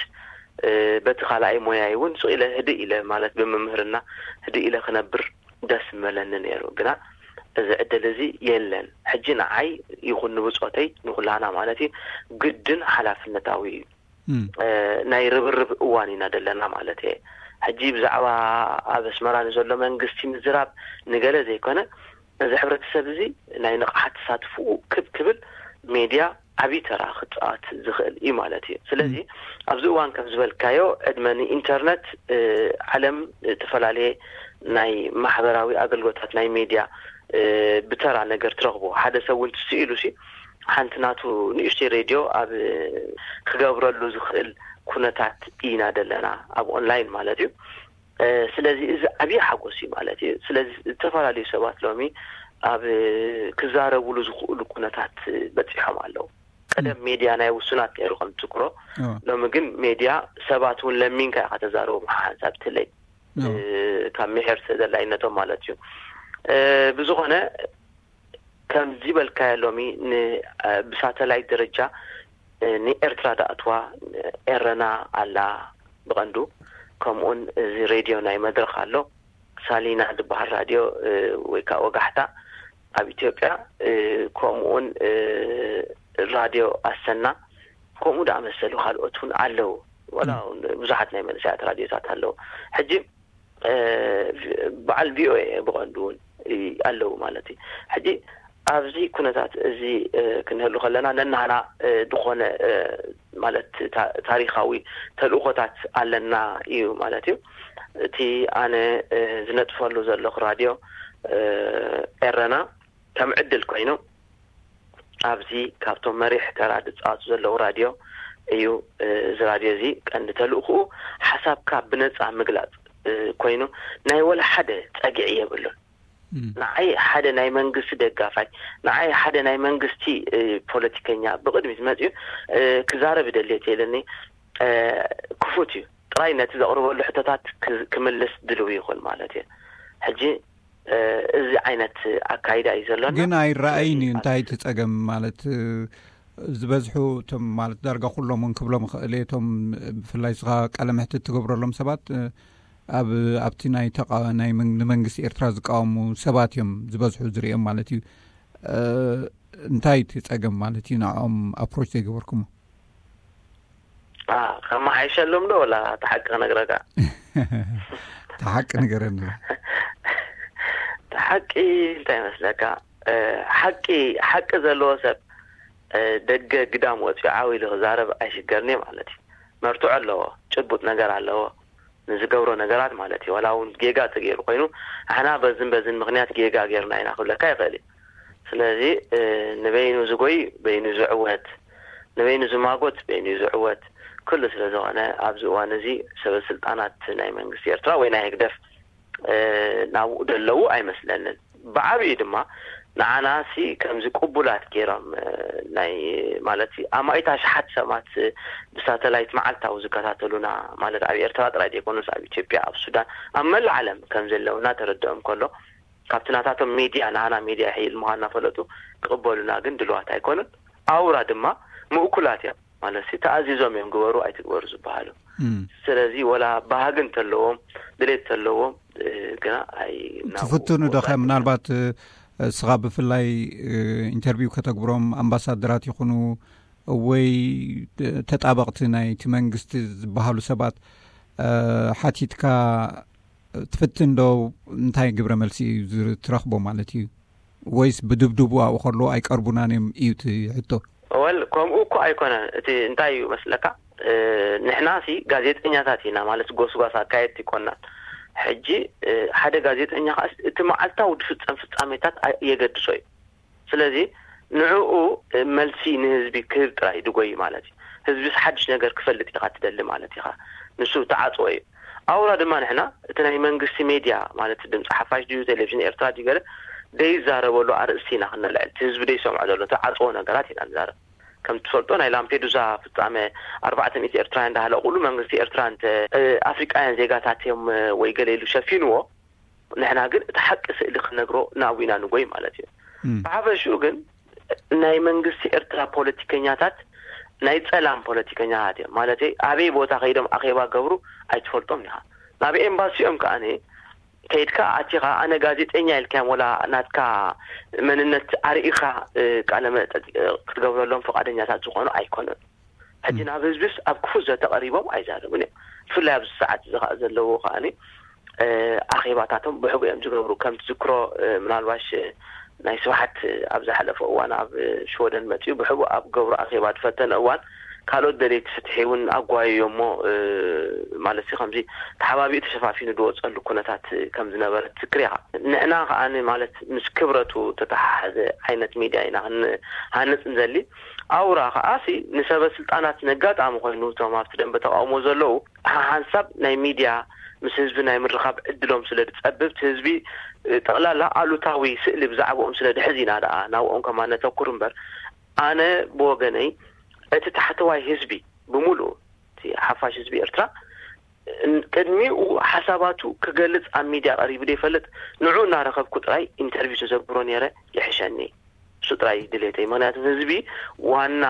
በቲ ካልኣይ ሞያይ እውን ስቕ ኢለ ህድእ ኢለ ማለት ብምምህርና ህድእ ኢለ ክነብር ደስ ምበለኒ ነይሩ። ግና እዚ ዕድል እዚ የለን። ሕጂ ንዓይ ይኹን ንብፆተይ ንኩላና ማለት እዩ ግድን ሓላፍነታዊ እዩ። ናይ ርብርብ እዋን ኢና ዘለና ማለት እየ። ሕጂ ብዛዕባ ኣብ ኣስመራ ንዘሎ መንግስቲ ምዝራብ ንገለ ዘይኮነ እዚ ሕብረተሰብ እዚ ናይ ንቕሓት ተሳትፍኡ ክብ ክብል ሜድያ ዓብዪ ተራ ክፃወት ዝኽእል እዩ ማለት እዩ። ስለዚ ኣብዚ እዋን ከም ዝበልካዮ ዕድመ ንኢንተርነት ዓለም ዝተፈላለየ ናይ ማሕበራዊ ኣገልግሎታት ናይ ሜድያ ብተራ ነገር ትረኽቦ። ሓደ ሰብ እውን ትስኢሉ ሲ ሓንቲ ናቱ ንእሽተይ ሬድዮ ኣብ ክገብረሉ ዝኽእል ኩነታት ኢና ዘለና ኣብ ኦንላይን ማለት እዩ። ስለዚ እዚ ዓብዪ ሓጎስ እዩ ማለት እዩ። ስለዚ ዝተፈላለዩ ሰባት ሎሚ ኣብ ክዛረብሉ ዝኽእሉ ኩነታት በፂሖም ኣለዉ። ቀደም ሜድያ ናይ ውሱናት ነይሩ ከም ትዝክሮ። ሎሚ ግን ሜድያ ሰባት እውን ለሚንካ ኢኻ ተዛረቦም ሓንሳብ ትለይ ካብ ምሕር ተደላይነቶም ማለት እዩ። ብዝኾነ ከምዚ በልካዮ ሎሚ ብሳተላይት ደረጃ ንኤርትራ ዳእትዋ ኤረና ኣላ ብቐንዱ። ከምኡውን እዚ ሬድዮ ናይ መድረኽ ኣሎ፣ ሳሊና ዝበሃል ራድዮ ወይ ከዓ ወጋሕታ ኣብ ኢትዮጵያ፣ ከምኡውን ራድዮ ኣሰና ከምኡ ዝኣመሰሉ ካልኦት እውን ኣለዉ። ዋላ እውን ብዙሓት ናይ መንእሰያት ራድዮታት ኣለዉ። ሕጂ በዓል ቪኦኤ ብቐንዱ እውን ኣለዉ ማለት እዩ። ሕጂ ኣብዚ ኩነታት እዚ ክንህሉ ከለና ነናና ዝኾነ ማለት ታሪኻዊ ተልእኾታት ኣለና እዩ ማለት እዩ። እቲ ኣነ ዝነጥፈሉ ዘለኹ ራድዮ ኤረና ከም ዕድል ኮይኑ ኣብዚ ካብቶም መሪሕ ተራ ዝፃወቱ ዘለዉ ራድዮ እዩ። እዚ ራድዮ እዚ ቀንዲ ተልእኽኡ ሓሳብካ ብነፃ ምግላፅ ኮይኑ ናይ ወላ ሓደ ፀግዒ የብሉን። ንዓይ ሓደ ናይ መንግስቲ ደጋፋይ፣ ንዓይ ሓደ ናይ መንግስቲ ፖለቲከኛ ብቕድሚት መፅኡ ክዛረብ ይደልየት የለኒ። ክፉት እዩ። ጥራይ ነቲ ዘቕርበሉ ሕቶታት ክምልስ ድልው ይኹን ማለት እዩ። ሕጂ እዚ ዓይነት ኣካይዳ እዩ ዘሎና። ግን ኣይረኣይን እዩ። እንታይ እቲ ጸገም ማለት ዝበዝሑ እቶም ማለት ዳርጋ ኩሎም እውን ክብሎም ይኽእል እየ፣ እቶም ብፍላይ ስኻ ቃለ መሕትት ትገብረሎም ሰባት ኣብ ኣብቲ ናይ ተቃ ናይ ንመንግስቲ ኤርትራ ዝቃወሙ ሰባት እዮም ዝበዝሑ ዝርእዮም ማለት እዩ። እንታይ እቲ ጸገም ማለት እዩ ንዕኦም ኣፕሮች ዘይገበርኩሞ? ከመሓይሸሎም ዶ ወላ እቲ ሓቂ ክነግረካ? እቲ ሓቂ ንገረኒ። እቲ ሓቂ እንታይ ይመስለካ? ሓቂ ሓቂ ዘለዎ ሰብ ደገ ግዳም ወፂኡ ዓው ኢሉ ክዛረብ ኣይሽገርኒ ማለት እዩ። መርትዖ ኣለዎ፣ ጭቡጥ ነገር ኣለዎ ንዝገብሮ ነገራት ማለት እዩ። ዋላ እውን ጌጋ ተገይሩ ኮይኑ ኣሕና በዝን በዝን ምክንያት ጌጋ ገይርና ኢና ክብለካ ይኽእል እዩ። ስለዚ ንበይኑ ዝጎይ በይኑ ዝዕወት፣ ንበይኑ ዝማጎት በይኑ ዝዕወት። ኩሉ ስለ ዝኾነ ኣብዚ እዋን እዚ ሰበ ስልጣናት ናይ መንግስቲ ኤርትራ ወይ ናይ ህግደፍ ናብኡ ደለዉ ኣይመስለንን። ብዓብዩ ድማ ንዓናሲ ከምዚ ቅቡላት ገይሮም ናይ ማለት ኣማኢት ኣሽሓት ሰባት ብሳተላይት መዓልታዊ ዝከታተሉና ማለት ኣብ ኤርትራ ጥራይ ዘይኮኑስ ኣብ ኢትዮጵያ፣ ኣብ ሱዳን፣ ኣብ መላእ ዓለም ከም ዘለውና ተረድኦም ከሎ ካብቲ ናታቶም ሚድያ ንዓና ሚድያ ይሕይል ምዃን እናፈለጡ ክቕበሉና ግን ድልዋት ኣይኮኑን። ኣውራ ድማ ምእኩላት እዮም ማለት ተኣዚዞም እዮም ግበሩ ኣይትግበሩ ዝበሃሉ። ስለዚ ወላ ባህጊ እንተለዎም ድሌት እንተለዎም ግና ኣይ ትፍትኑ ዶ ኸ? ምናልባት እስኻ ብፍላይ ኢንተርቪው ከተግብሮም ኣምባሳደራት ይኹኑ ወይ ተጣበቕቲ ናይቲ መንግስቲ ዝበሃሉ ሰባት ሓቲትካ ትፍትን ዶ? እንታይ ግብረ መልሲ እዩ ትረኽቦ ማለት እዩ? ወይስ ብድብድቡ ኣብኡ ከሎ ኣይቀርቡናን እዮም እዩ እቲ ሕቶ? ወል ከምኡ እኮ ኣይኮነን። እቲ እንታይ እዩ መስለካ? ንሕና ሲ ጋዜጠኛታት ኢና ማለት ጎስጓስ ኣካየድቲ ይኮናን። ሕጂ ሓደ ጋዜጠኛ ከዓ እቲ መዓልታዊ ዝፍፀም ፍፃሜታት የገድሶ እዩ። ስለዚ ንዕኡ መልሲ ንህዝቢ ክህብ ጥራይ ድጎይ ማለት እዩ። ህዝቢስ ሓድሽ ነገር ክፈልጥ ኢኻ ትደሊ ማለት ኢኻ። ንሱ ተዓፅዎ እዩ። ኣውራ ድማ ንሕና እቲ ናይ መንግስቲ ሜድያ ማለት ድምፂ ሓፋሽ ድዩ ቴሌቪዥን ኤርትራ ድዩ ገለ ደይዛረበሉ ኣርእስቲ ኢና ክነልዕል፣ እቲ ህዝቢ ደይሰምዖ ዘሎ ተዓፅዎ ነገራት ኢና ንዛረብ። ከም ትፈልጦ ናይ ላምፔዱዛ ፍፃመ ኣርባዕተ ሚእቲ ኤርትራውያን እንዳሃለቁሉ መንግስቲ ኤርትራ እንተ ኣፍሪቃውያን ዜጋታት እዮም ወይ ገለ ኢሉ ሸፊንዎ፣ ንሕና ግን እቲ ሓቂ ስእሊ ክነግሮ ናብኡ ኢና ንጎይ ማለት እዩ። ብሓፈሽኡ ግን ናይ መንግስቲ ኤርትራ ፖለቲከኛታት ናይ ጸላም ፖለቲከኛታት እዮም። ማለተይ ኣበይ ቦታ ከይዶም ኣኼባ ገብሩ ኣይትፈልጦም ኢኻ። ናብ ኤምባሲኦም ከኣ ከይድካ ኣቲኻ ኣነ ጋዜጠኛ ኢልካዮም ወላ ናትካ መንነት ኣርኢኻ ቃለ መጠይቅ ክትገብረሎም ፍቃደኛታት ዝኾኑ ኣይኮኑን። ሕጂ ናብ ህዝብስ ኣብ ክፉት ዘተ ቀሪቦም ኣይዛረቡን እዮም። ብፍላይ ኣብዚ ሰዓት እዚ ከዓ ዘለዎ ከዓ ኣኼባታቶም ብሕቡ እዮም ዝገብሩ። ከም ትዝክሮ ምናልባሽ ናይ ስብሓት ኣብ ዝሓለፈ እዋን ኣብ ሽወደን መፅኡ ብሕቡ ኣብ ገብሩ ኣኼባ ዝፈተነ እዋን ካልኦት ደለይቲ ፍትሒ እውን ኣጓየዮ እሞ ማለት ከምዚ ተሓባቢኡ ተሸፋፊኑ ዝወፀሉ ኩነታት ከም ዝነበረ ትዝክር ኢኻ። ንሕና ከዓ ማለት ምስ ክብረቱ ተተሓሓዘ ዓይነት ሚድያ ኢና ክንሃንፅ ንደሊ። ኣውራ ከዓሲ ንሰበ ስልጣናት ነጋጣሚ ኮይኑ እቶም ኣብቲ ደንበ ተቃውሞ ዘለዉ ሓንሳብ ናይ ሚድያ ምስ ህዝቢ ናይ ምርኻብ ዕድሎም ስለ ዝፀብብ እቲ ህዝቢ ጠቕላላ ኣሉታዊ ስእሊ ብዛዕባኦም ስለ ድሕዝ ኢና ደኣ ናብኦም ከማን ነተኩር እምበር ኣነ ብወገነይ እቲ ታሕተዋይ ህዝቢ ብምሉኡ እቲ ሓፋሽ ህዝቢ ኤርትራ ቅድሚኡ ሓሳባቱ ክገልጽ ኣብ ሚድያ ቀሪቡ ዘይፈልጥ ንዑ እናረኸብኩ ጥራይ ኢንተርቪው ተዘግብሮ ነይረ ይሕሸኒ። እሱ ጥራይ ድሌተይ። ምክንያቱ ህዝቢ ዋና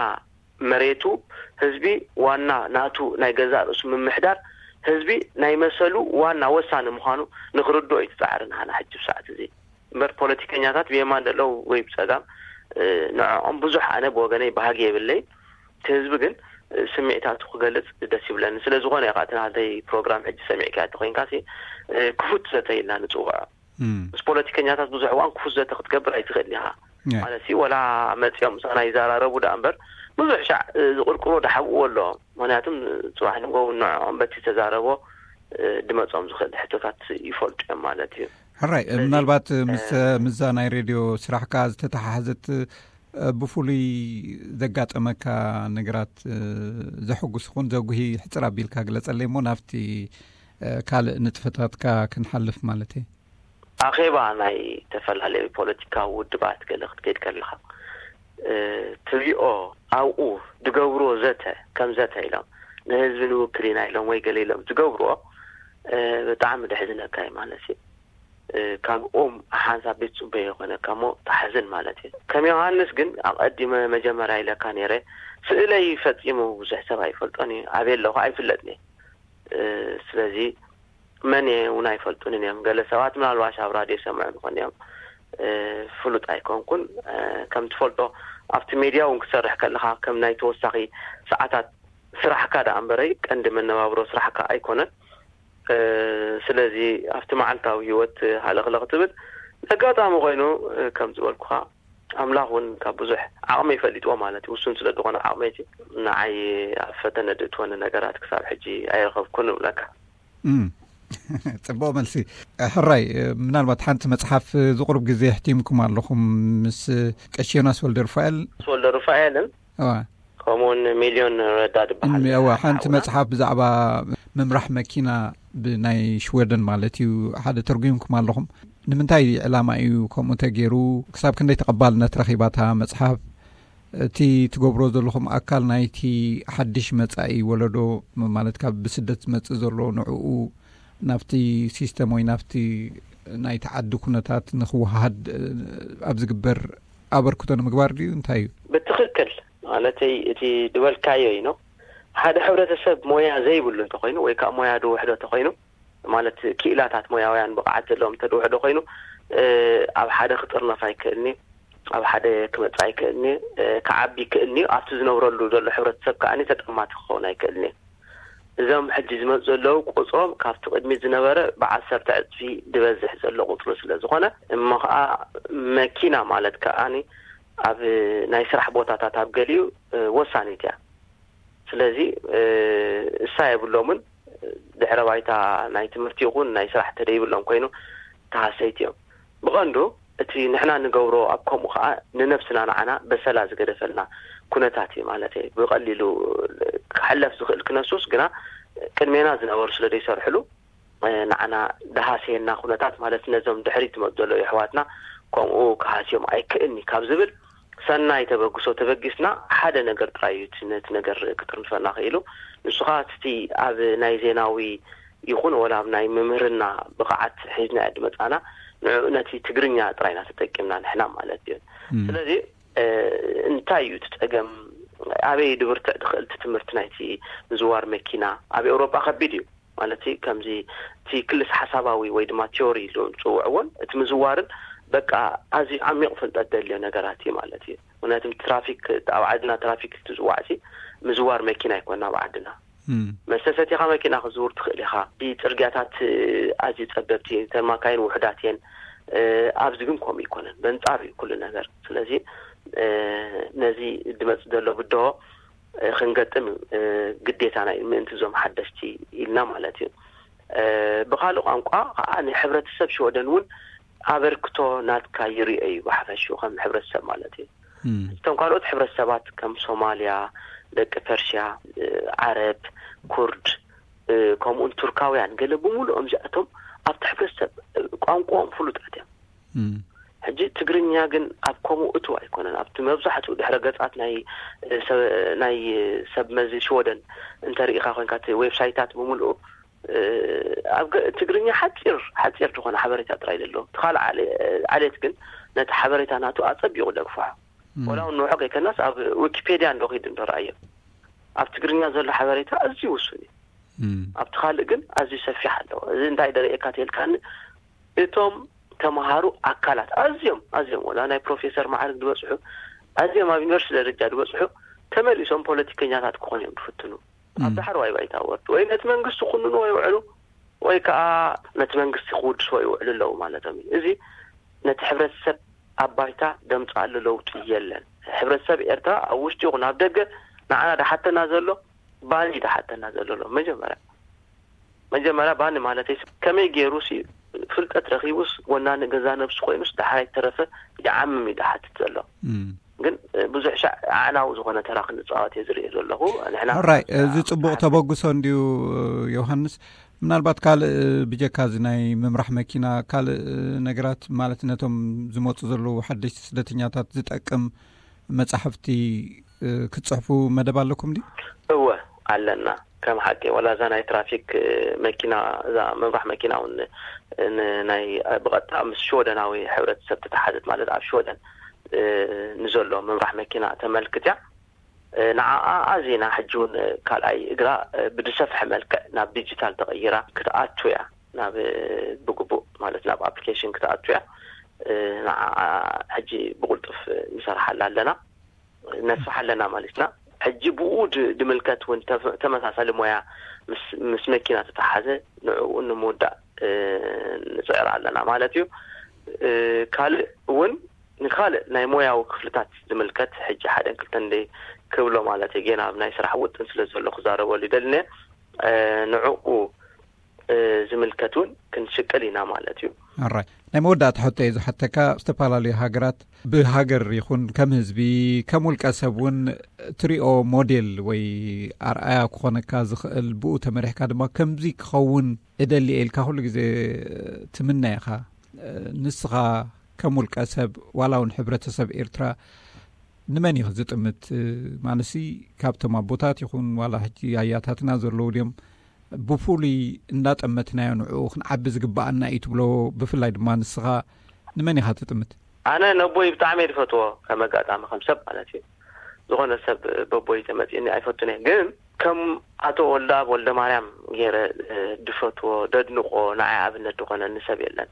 መሬቱ፣ ህዝቢ ዋና ናቱ ናይ ገዛእ ርእሱ ምምሕዳር፣ ህዝቢ ናይ መሰሉ ዋና ወሳኒ ምዃኑ ንክርድኦ እዩ እቲ ጻዕሪ ናህና ሕጂ ብሰዓት እዚ። እምበር ፖለቲከኛታት ብየማን ዘለዉ ወይ ብጸጋም ንዕኦም ብዙሕ ኣነ ብወገነይ ባህጊ የብለይ። እቲ ህዝቢ ግን ስምዒታቱ ክገልጽ ደስ ይብለኒ። ስለ ዝኾነ ኢኻ እቲ ናተይ ፕሮግራም ሕጂ ሰሚዕካያ እንተኾይንካ ሲ ክፉት ዘተ ኢልና ንጽውዖ። ምስ ፖለቲከኛታት ብዙሕ እዋን ክፉት ዘተ ክትገብር ኣይትኽእል ኢኻ። ማለት ሲ ወላ መጺኦም ምሳና ይዘራረቡ ደኣ እምበር ብዙሕ ሻዕ ዝቕርቅሮ ድሓብእዎ ኣሎ። ምክንያቱም ጽባሕ ንጎው ንዕኦም በቲ ተዛረቦ ድመጾም ዝኽእል ሕቶታት ይፈልጡ እዮም ማለት እዩ። ሕራይ። ምናልባት ምስ ምዛ ናይ ሬድዮ ስራሕካ ዝተተሓሓዘት ብፍሉይ ዘጋጠመካ ነገራት ዘሐጉስ ኹን ዘጉሂ ሕፅር ኣቢልካ ግለጸለይ እሞ ናብቲ ካልእ ንጥፈታትካ ክንሓልፍ ማለት እየ። ኣኼባ ናይ ዝተፈላለዩ ፖለቲካዊ ውድባት ገለ ክትከይድ ከለኻ ትሪኦ፣ ኣብኡ ዝገብርዎ ዘተ ከም ዘተ ኢሎም ንህዝቢ ንውክል ኢና ኢሎም ወይ ገለ ኢሎም ዝገብርዎ ብጣዕሚ ደሕዝነካ እዩ ማለት እዩ። ካብ ኦም ሓንሳብ ቤት ጽበ የኾነካ እሞ ተሓዝን ማለት እዩ። ከም ዮሃንስ ግን ኣቐዲመ መጀመርያ ኢለካ ነይረ፣ ስእለይ ፈጺሙ ብዙሕ ሰብ ኣይፈልጦን እዩ፣ ኣበየ ኣለኹ ኣይፍለጥን እዩ። ስለዚ መን እየ እውን ኣይፈልጡንን እዮም። ገለ ሰባት ምናልባሽ ኣብ ራድዮ ሰምዑ ንኾን እዮም፣ ፍሉጥ ኣይኮንኩን። ከም ትፈልጦ ኣብቲ ሜድያ እውን ክሰርሕ ከለኻ ከም ናይ ተወሳኺ ሰዓታት ስራሕካ ደኣ እምበረይ ቀንዲ መነባብሮ ስራሕካ ኣይኮነን። ስለዚ ኣብቲ መዓልታዊ ህይወት ሃለኽለኽ ትብል ኣጋጣሚ ኮይኑ ከም ዝበልኩኻ ኣምላኽ እውን ካብ ብዙሕ ዓቕመይ ፈሊጥዎ ማለት እዩ። ውሱን ስለ ዝኾነ ዓቕመይቲ ንዓይ ኣብ ፈተነ ድእትወኒ ነገራት ክሳብ ሕጂ ኣይረኸብኩን እብለካ። ጽቡቕ መልሲ። ሕራይ፣ ምናልባት ሓንቲ መጽሓፍ ዝቕሩብ ግዜ ሕቲምኩም ኣለኹም ምስ ቀሺ ዮናስ ወልደ ሩፋኤል። ወልደ ሩፋኤልን ከምኡውን ሚልዮን ረዳ ዝበሃል ሓንቲ መጽሓፍ ብዛዕባ ምምራሕ መኪና ብናይ ሽወደን ማለት እዩ ሓደ ተርጉምኩም ኣለኹም። ንምንታይ ዕላማ እዩ ከምኡ ተገይሩ? ክሳብ ክንደይ ተቐባልነት ረኺባታ መጽሓፍ? እቲ ትገብሮ ዘለኹም ኣካል ናይቲ ሓድሽ መጻኢ ወለዶ ማለት ካብ ብስደት ዝመጽእ ዘሎ ንዕኡ ናብቲ ሲስተም ወይ ናብቲ ናይቲ ዓዲ ኩነታት ንክወሃሃድ ኣብ ዝግበር ኣበርክቶ ንምግባር ድዩ እንታይ እዩ? ብትኽክል። ማለተይ እቲ ዝበልካዮ እዩ። ሓደ ሕብረተሰብ ሞያ ዘይብሉ እንተኮይኑ ወይ ከዓ ሞያ ድውሕዶ እንተኮይኑ ማለት ክኢላታት ሞያውያን ብቕዓት ዘለዎም እንተድውሕዶ ኮይኑ ኣብ ሓደ ክጥርነፍ ኣይክእልኒ፣ ኣብ ሓደ ክመጽእ ኣይክእልኒ፣ ክዓቢ ይክእልኒ። ኣብቲ ዝነብረሉ ዘሎ ሕብረተሰብ ከዓ ተጠማቲ ክኸውን ኣይክእልኒ። እዞም ሕጂ ዝመፁ ዘለዉ ቁፅሮም ካብቲ ቅድሚት ዝነበረ ብዓሰርተ ዕፅፊ ዝበዝሕ ዘሎ ቁፅሪ ስለ ዝኾነ እሞ ከዓ መኪና ማለት ከዓ ኣብ ናይ ስራሕ ቦታታት ኣብ ገሊኡ ወሳኒት እያ። ስለዚ እሳ የብሎምን ድሕረ ባይታ ናይ ትምህርቲ ይኹን ናይ ስራሕ ተደይብሎም ኮይኑ ተሃሰይቲ እዮም። ብቐንዱ እቲ ንሕና ንገብሮ ኣብ ከምኡ ከዓ ንነብስና ንዓና በሰላ ዝገደፈልና ኩነታት እዩ ማለት እየ። ብቐሊሉ ክሕለፍ ዝኽእል ክነሱስ ግና ቅድሜና ዝነበሩ ስለ ዘይሰርሕሉ ንዓና ድሃስየና ኩነታት ማለት ነዞም ድሕሪት ዝመፁ ዘለዉ የሕዋትና ከምኡ ክሃስዮም ኣይክእልኒ ካብ ዝብል ሰናይ ተበግሶ ተበጊስና ሓደ ነገር ጥራይ እዩ እቲ ነቲ ነገር ክጥርንፈና ክኢሉ። ንሱ ከዓ እቲ ኣብ ናይ ዜናዊ ይኹን ወላ ኣብ ናይ ምምህርና ብቕዓት ሒዝና ድመፃና ንዕኡ ነቲ ትግርኛ ጥራይና ተጠቂምና ንሕና ማለት እዩ። ስለዚ እንታይ እዩ እቲ ፀገም? ኣበይ ድብርትዕ ድኽእል እቲ ትምህርቲ ናይቲ ምዝዋር መኪና? ኣብ ኤውሮጳ ከቢድ እዩ ማለት ከምዚ እቲ ክልስ ሓሳባዊ ወይ ድማ ቲዮሪ ኢሉ ዝፅውዕዎን እቲ ምዝዋርን በቃ ኣዝዩ ዓሚቕ ፍልጠት ደልዮ ነገራት እዩ ማለት እዩ። ምክንያቱም ትራፊክ ኣብ ዓድና ትራፊክ ትዝዋዕሲ ምዝዋር መኪና ኣይኮና ኣብ ዓድና። መስተ ሰቲኻ መኪና ክዝውር ትኽእል ኢኻ። እቲ ፅርግያታት ኣዝዩ ፀበብቲ እተን ማካይን ውሕዳት እየን። ኣብዚ ግን ከምኡ ይኮነን በንፃር እዩ ኩሉ ነገር። ስለዚ ነዚ ድመፅ ዘሎ ብድሆ ክንገጥም ግዴታና እዩ ምእንቲ እዞም ሓደሽቲ ኢልና ማለት እዩ። ብካልእ ቋንቋ ከዓ ንሕብረተሰብ ሽወደን እውን ኣበርክቶ ናትካ ይርኦ እዩ ብሓፈሽኡ ከም ሕብረተሰብ ማለት እዩ። እቶም ካልኦት ሕብረተሰባት ከም ሶማልያ፣ ደቂ ፐርሽያ፣ ዓረብ፣ ኩርድ፣ ከምኡውን ቱርካውያን ገለ ብምሉኦም እዚኣቶም ኣብቲ ሕብረተሰብ ቋንቋኦም ፍሉጣት እዮም። ሕጂ ትግርኛ ግን ኣብ ከምኡ እቱ ኣይኮነን። ኣብቲ መብዛሕትኡ ድሕረ ገጻት ናይ ናይ ሰብ መዚ ሽወደን እንተርኢኻ ኮንካ እቲ ዌብሳይታት ብምሉኡ ኣብ ትግርኛ ሓፂር ሓፂር ዝኾነ ሓበሬታ ጥራይ ዘለዎ እቲ ካልእ ዓሌት ግን ነቲ ሓበሬታ ናቱ ኣፀቢቑ ደግፋሖ። ወላ እውን ንውሖ ከይከናስ ኣብ ዊኪፔድያ እንዶ ኺድ እንዶ ረኣዮ ኣብ ትግርኛ ዘሎ ሓበሬታ ኣዝዩ ውሱን እዩ። ኣብቲ ካልእ ግን ኣዝዩ ሰፊሕ ኣለዎ። እዚ እንታይ ደርእየካ ተልካኒ እቶም ተምሃሩ ኣካላት ኣዝዮም ኣዝዮም ወላ ናይ ፕሮፌሰር ማዕርግ ዝበፅሑ ኣዝዮም ኣብ ዩኒቨርሲቲ ደረጃ ዝበፅሑ ተመሊሶም ፖለቲከኛታት ክኾኑ እዮም ዝፍትኑ። ኣብ ዳሕረዋይ ባይታ ወርዱ ወይ ነቲ መንግስቲ ክውንንዎ ይውዕሉ ወይ ከዓ ነቲ መንግስቲ ክውድስዎ ይውዕሉ ኣለዉ ማለቶም እዩ። እዚ ነቲ ሕብረተሰብ ኣብ ባይታ ደምፅኣሉ ለውጢ የለን። ሕብረተሰብ ኤርትራ ኣብ ውሽጢ ይኹን ኣብ ደገ ንዓና ድሓተና ዘሎ ባኒ ድሓተና ዘሎ ኣሎ። መጀመርያ መጀመርያ ባኒ ማለት ከመይ ገይሩ ሲ ፍልጠት ረኺቡስ ወናኒ ገዛ ነብሱ ኮይኑስ ዳሕራይ ተረፈ ይዓምም እዩ ድሓትት ዘሎ። ግን ብዙሕ ሻዕ ኣዕናዊ ዝኾነ ተራ ክንፃወት እየ ዝርኢ ዘለኹ። ንሕና ራይ እዚ ፅቡቕ ተበግሶ እንድዩ። ዮሃንስ፣ ምናልባት ካልእ ብጀካ እዚ ናይ ምምራሕ መኪና ካልእ ነገራት ማለት ነቶም ዝመፁ ዘለዉ ሓደሽቲ ስደተኛታት ዝጠቅም መጻሕፍቲ ክትጽሕፉ መደብ ኣለኩም ድዩ? እወ ኣለና። ከም ሓቂ ወላ እዛ ናይ ትራፊክ መኪና እዛ ምምራሕ መኪና እውን ናይ ብቐጥታ ምስ ሽወደናዊ ሕብረተሰብ ተተሓዘት ማለት ኣብ ሽወደን ንዘሎ ምምራሕ መኪና ተመልክት እያ። ንዓኣ ኣዚና ሕጂ እውን ካልኣይ እግራ ብዝሰፍሐ መልክዕ ናብ ዲጂታል ተቐይራ ክትኣቱ እያ። ናብ ብግቡእ ማለት ናብ ኣፕሊኬሽን ክትኣቱ እያ። ንዓኣ ሕጂ ብቁልጡፍ ንሰርሓላ ኣለና ነስፍሓ ኣለና ማለትና። ሕጂ ብኡ ድምልከት እውን ተመሳሳሊ ሞያ ምስ መኪና ተተሓዘ ንዕኡ ንምውዳእ ንፅዕር ኣለና ማለት እዩ። ካልእ እውን ንካልእ ናይ ሞያዊ ክፍልታት ዝምልከት ሕጂ ሓደን ክልተን ደይ ክብሎ ማለት እዩ። ጌና ኣብ ናይ ስራሕ ውጥን ስለ ዘሎ ክዛረበሉ ይደልነ ንዕኡ ዝምልከት እውን ክንሽቅል ኢና ማለት እዩ። ኣራይ ናይ መወዳእታ ሕቶ እየ ዝሓተካ። ዝተፈላለዩ ሃገራት ብሃገር ይኹን ከም ህዝቢ ከም ውልቀ ሰብ እውን ትሪኦ ሞዴል ወይ ኣርኣያ ክኾነካ ዝኽእል ብኡ ተመሪሕካ ድማ ከምዚ ክኸውን እደሊ ኢልካ ኩሉ ግዜ ትምነ ኢኻ። ንስኻ ከም ውልቀ ሰብ ዋላ እውን ሕብረተሰብ ኤርትራ ንመን እዩ ዝጥምት? ማለትሲ ካብቶም ኣቦታት ይኹን ዋላ ሕጂ ኣያታትና ዘለዉ ድዮም ብፍሉይ እንዳጠመትናዮ ንዕኡ ክንዓቢ ዝግባኣና እዩ ትብሎ? ብፍላይ ድማ ንስኻ ንመን ኢኻ ትጥምት? ኣነ ነቦይ ብጣዕሚ እየ ዝፈትዎ ከም ኣጋጣሚ ከም ሰብ ማለት እዩ። ዝኾነ ሰብ በቦይ ተመፂእኒ ኣይፈቱን እየ። ግን ከም ኣቶ ወልደኣብ ወልደ ማርያም ገይረ ድፈትዎ ደድንቆ ንዓይ ኣብነት ዝኾነኒ ሰብ የለን።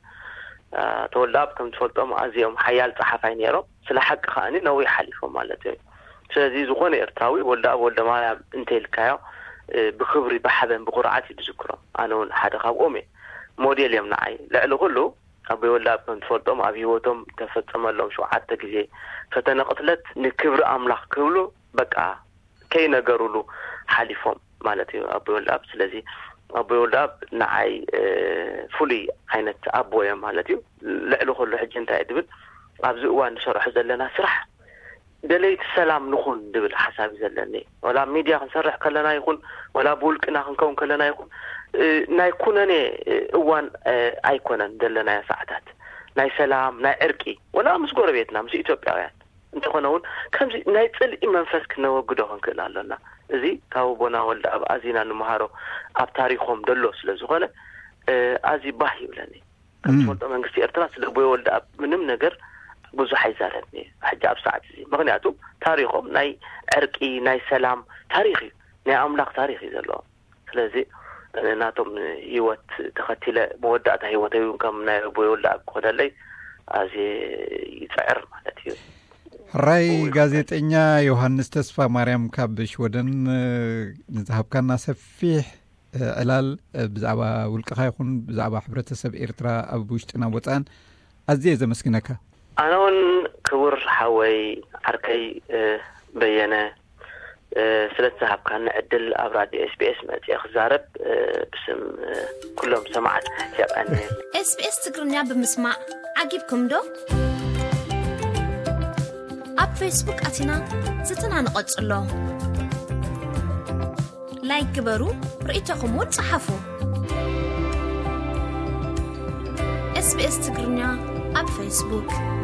ኣቶ ወልደኣብ ከም ትፈልጦም ኣዝዮም ሓያል ፀሓፋይ ነይሮም። ስለ ሓቂ ከዓኒ ነዊሕ ሓሊፎም ማለት እዩ። ስለዚ ዝኾነ ኤርትራዊ ወልደኣብ ወልደ ማርያም እንተይልካዮ ብክብሪ ብሓበን ብኩርዓት እዩ ዝዝክሮም። ኣነ እውን ሓደ ካብኦም እየ። ሞዴል እዮም ንዓይ። ልዕሊ ኩሉ ኣቦይ ወልደኣብ ከም ትፈልጦም ኣብ ህይወቶም ተፈጸመሎም ሸውዓተ ግዜ ፈተነ ቅትለት ንክብሪ ኣምላኽ ክብሉ በቃ ከይነገሩሉ ሓሊፎም ማለት እዩ ኣቦይ ወልደኣብ። ስለዚ ኣቦይ ወልደኣብ ንዓይ ፍሉይ ዓይነት ኣቦ እዮም ማለት እዩ። ልዕሊ ኩሉ ሕጂ እንታይ ድብል ኣብዚ እዋን ንሰርሖ ዘለና ስራሕ ደለይቲ ሰላም ንኹን ድብል ሓሳብ እዩ ዘለኒ። ወላ ኣብ ሚድያ ክንሰርሕ ከለና ይኹን ወላ ብውልቅና ክንከውን ከለና ይኹን ናይ ኩነኔ እዋን ኣይኮነን ዘለናዮ ሰዓታት ናይ ሰላም ናይ ዕርቂ ወላ ምስ ጎረቤትና ምስ ኢትዮጵያውያን እንተኾነ እውን ከምዚ ናይ ፅልኢ መንፈስ ክነወግዶ ክንክእል ኣሎና። እዚ ካብ ኣቦና ወልደኣብ ኣዚና ንምሃሮ ኣብ ታሪኾም ደሎ ስለ ዝኾነ ኣዚ ባህ ይብለኒ። ከም ትፈልጦ መንግስቲ ኤርትራ ስለ ኣቦይ ወልደኣብ ምንም ነገር ብዙሕ ኣይዛረብን እዩ ሕጂ ኣብ ሰዓት እዚ። ምክንያቱ ታሪኾም ናይ ዕርቂ ናይ ሰላም ታሪኽ እዩ። ናይ ኣምላኽ ታሪኽ እዩ ዘለዎም። ስለዚ ናቶም ህይወት ተኸቲለ መወዳእታ ህይወተይ እውን ከም ናይ ኣቦይ ወልደኣብ ክኾነለይ ኣዝየ ይፅዕር ማለት እዩ። ሕራይ ጋዜጠኛ ዮሃንስ ተስፋ ማርያም ካብ ሽወደን ንዝሃብካና ሰፊሕ ዕላል ብዛዕባ ውልቅኻ ይኹን ብዛዕባ ሕብረተሰብ ኤርትራ ኣብ ውሽጥን ኣብ ወፃእን ኣዝየ ዘመስግነካ። ኣነ እውን ክቡር ሓወይ ዓርከይ በየነ ስለቲ ዝሃብካኒ ዕድል ኣብ ራድዮ ኤስቢኤስ መፅየ ክዛረብ ብስም ኩሎም ሰማዕት የቀንየ። SBS ትግርኛ ብምስማዕ ዓጊብኩም ዶ? ኣብ ፌስቡክ ኣቲና ዝትና ንቐጽሎ። ላይክ ግበሩ፣ ርእይቶኹም እውን ጸሓፉ። SBS ትግርኛ ኣብ ፌስቡክ።